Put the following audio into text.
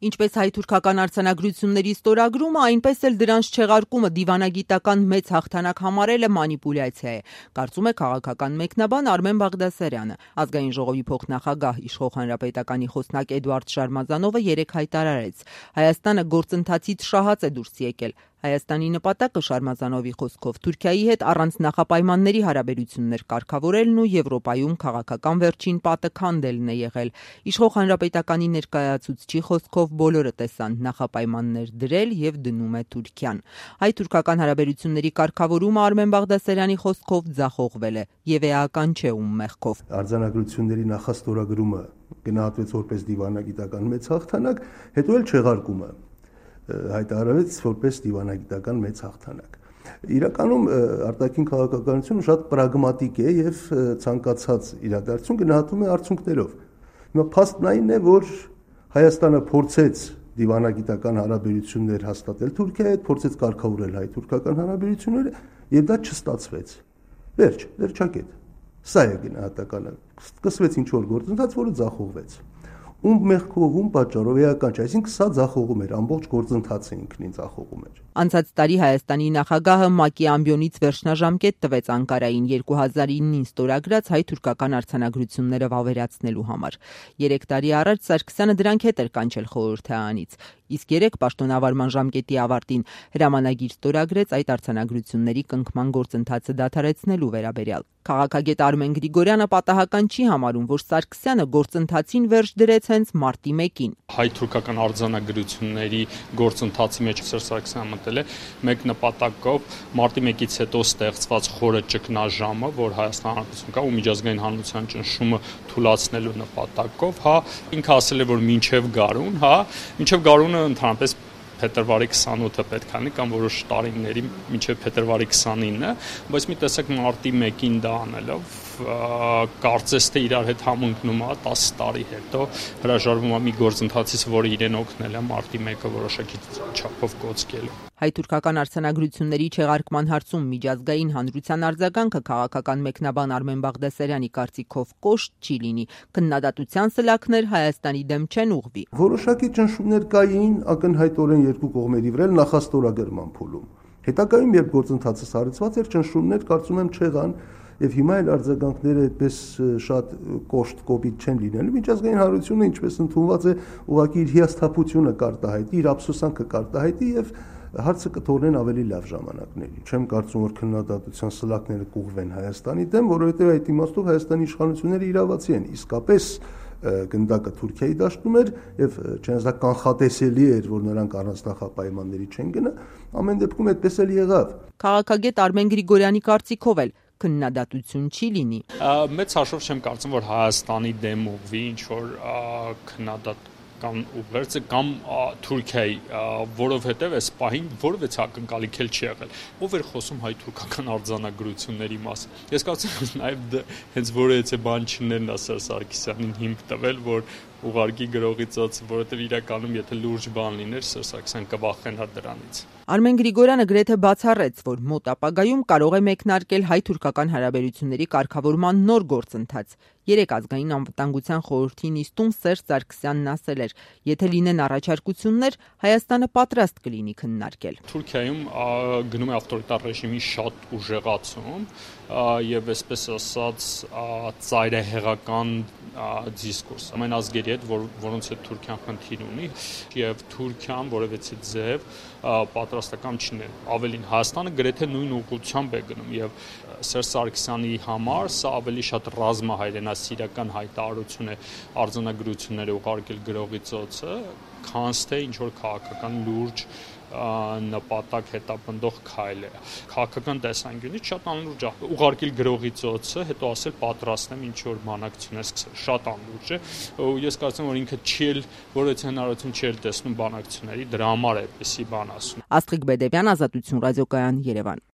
Ինչպես հայ-թուրքական արձանագրությունների ստորագրումը, այնպես էլ դրանց չեղարկումը դիվանագիտական մեծ հաղթանակ համարելը մանիպուլյացիա է, կարծում է քաղաքական մեկնաբան Արմեն Բաղդասարյանը։ Ազգային ժողովի փոխնախագահ Իշխող հանրապետականի խոսնակ Էդուարդ Շարմազանովը երեկ հայտարարեց. Հայաստանը գործընթացից շահած է դուրս եկել։ Հայաստանի նպատակը Շարմազանովի խոսքով Թուրքիայի հետ առանց նախապայմանների հարաբերություններ կարգավորելն ու Եվրոպայում քաղաքական վերջին պատը քանդելն է եղել։ Իշխող հանրապետականի ներկայացուցչի խոսքով բոլորը տեսան նախապայմաններ դրել եւ դնում է Թուրքիան։ Հայ-թուրքական հարաբերությունների կարգավորումը Արմեն Բաղդասարյանի խոսքով ձախողվել է եւ էական չէ ում մեղքով։ Արձանագրությունների նախաստորագրումը գնահատվեց որպես դիվանագիտական մեծ հաղթանակ, հետո էլ չեղարկումը հայտարարվեց որպես դիվանագիտական մեծ հաղթանակ։ Իրականում արտաքին քաղաքականությունը շատ պրագմատիկ է եւ ցանկացած իրադարձություն գնահատում է արդյունքներով։ Հիմա փաստն այն է, որ Հայաստանը փորձեց դիվանագիտական հարաբերություններ հաստատել Թուրքիայի հետ, փորձեց կարգավորել հայ-թուրքական հարաբերությունները եւ դա չստացվեց։ Վերջակետ։ Սա է գնահատականը։ Սկսվեց ինչ-որ գործընթաց, որը ձախողվեց։ Ում մեղքով, ում պատճառով էական չէ, այսինքն սա ձախողում էր, ամբողջ գործընթացը ինքնին ձախողում էր։ Անցած տարի Հայաստանի նախագահը ՄԱԿ-ի ամբիոնից վերջնաժամկետ տվեց Անկարային 2009-ին ստորագրած հայ-թուրքական արձանագրությունները վավերացնելու համար։ 3 տարի առաջ Սարգսյանը դրանք հետ էր կանչել խորհրդարանից, իսկ երեք պաշտոնավարման ժամկետի ավարտին հրամանագիր ստորագրեց այդ արձանագրությունների կնքման գործընթացը դադարեցնելու վերաբերյալ։ Քաղաքագետ Արմեն Գրիգորյանը պատահական չի համարում, որ Սարգսյանը գործընթացին վերջ դրեց հենց մարտի 1-ին։ Հայ-թուրքական արձանագրությունների գործընթացի մեջ Սերժ Սարգսյանը մտել է մեկ նպատակով՝ մարտի 1-ից հետո ստեղծված խորը ճգնաժամը, որ Հայաստան Հանրապետություն կա ու միջազգային հանրության ճնշումը թուլացնելու նպատակով, ինքը ասել է, որ մինչև գարունը ընդհանրապես փետրվարի 28-ը պետք է լինի կամ որոշ տարիների մինչև փետրվարի 29-ը, բայց մի տեսակ մարտի 1-ին դա անելով կարծես թե իրար հետ համընկնում է 10 տարի հետո հրաժարվում է մի գործընթացից, որը իրեն օգնել է մարտի 1-ը որոշակի չափով կոծկելու։ Հայ-թուրքական արձանագրությունների չեղարկման հարցում միջազգային հանրության արձագանքը քաղաքական մեկնաբան Արմեն Բաղդասարյանի կարծիքով կոշտ չի լինի։ Քննադատության սլաքներ Հայաստանի դեմ չեն ուղղվի։ Որոշակի ճնշումներ կային ակնհայտորեն երկու կողմերի վրա նախաստորագրման փուլում։ Հետագայում երբ գործընթացը սառեցված էր, ճնշումներ կարծում եմ չեղան եւ հիմա էլ արձագանքները այդպես շատ կոշտ կոպիտ չեն լինելու։ Միջազգային հանրությունը ինչպես ընդունված է, ուղղակի իր հիասթափությունը կարտահայտի, իր ափսոսանքը կարտահայտի եւ հարցը կթողնեն ավելի լավ ժամանակների։ Չեմ կարծում, որ քննադատության սլաքները կուղղվեն Հայաստանի դեմ, որովհետեւ այդ իմաստով Հայաստանի իշխանությունները իրավացի են։ Իսկապես գնդակը Թուրքիայի դաշտում էր եւ չնայած կանխատեսելի էր, որ նրանք առանց նախապայմանների չեն գնա, ամեն դեպքում այդպես էլ եղավ։ Քաղաքագետ Արմեն Գրիգորյանի կարծիքով էլ քննադատություն չի լինի։ Մեծ հաշվով չեմ կարծում, որ Հայաստանի դեմ ուղղվի ինչ որ քննադատական ուղերձը կամ Թուրքիայի, որովհետև այս պահին որևէ ակնկալիք էլ չի եղել։ Ով էր խոսում հայ-թուրքական արձանագրությունների մասին։ Ես կարծում եմ նաև հենց որևէ բան չներն Սերժ Սարգսյանին հիմք տվել, որ ուղարկի գրողի ծոցը, որովհետև իրականում եթե լուրջ բան լիներ, Սերժ Սարգսյանը կվախենար դրանից։ Արմեն Գրիգորյանը գրեթե բացառեց, որ մոտ ապագայում կարող է մեկնարկել հայ-թուրքական հարաբերությունների կարգավորման նոր գործընթաց։ Երեկ ազգային անվտանգության խորհրդի նիստում Սերժ Սարգսյանն ասել էր. եթե լինեն առաջարկություններ, Հայաստանը պատրաստ կլինի քննարկել։ Թուրքիայում գնում է ավտորիտար ռեժիմի շատ ուժեղացում եւ այսպես ասած ծայրահեղական դիսկուրս ամեն ազգերի հետ, որոնց հետ Թուրքիան խնդիր ունի եւ Թուրքիան որևէ ձև պատրաստական չնե։ Ավելին Հայաստանը գրեթե նույն ուղղությամբ է գնում եւ Սերժ Սարգսյանի համար սա ավելի շատ ռազմահայրենասիրական հայտարարություն է արձանագրությունները ուղարկել գրողի ծոցը, քան թե ինչ որ քաղաքական լուրջ նպատակ հետապնդող քայլ է։ Քաղաքական տեսանկյունից շատ անլուրջ է ուղարկել գրողի ծոցը, հետո ասել պատրաստ եմ ինչ որ բանակցություններ սկսել։ Շատ անլուրջ է։ Ես կարծում եմ, որ ինքը չի էլ որևէ հնարավորություն չի էլ տեսնում բանակցությունների, դրա համար է այդպեսի բան ասում։ Աստղիկ Բեդևյան, Ազատություն ռադիոկայան, Երևան։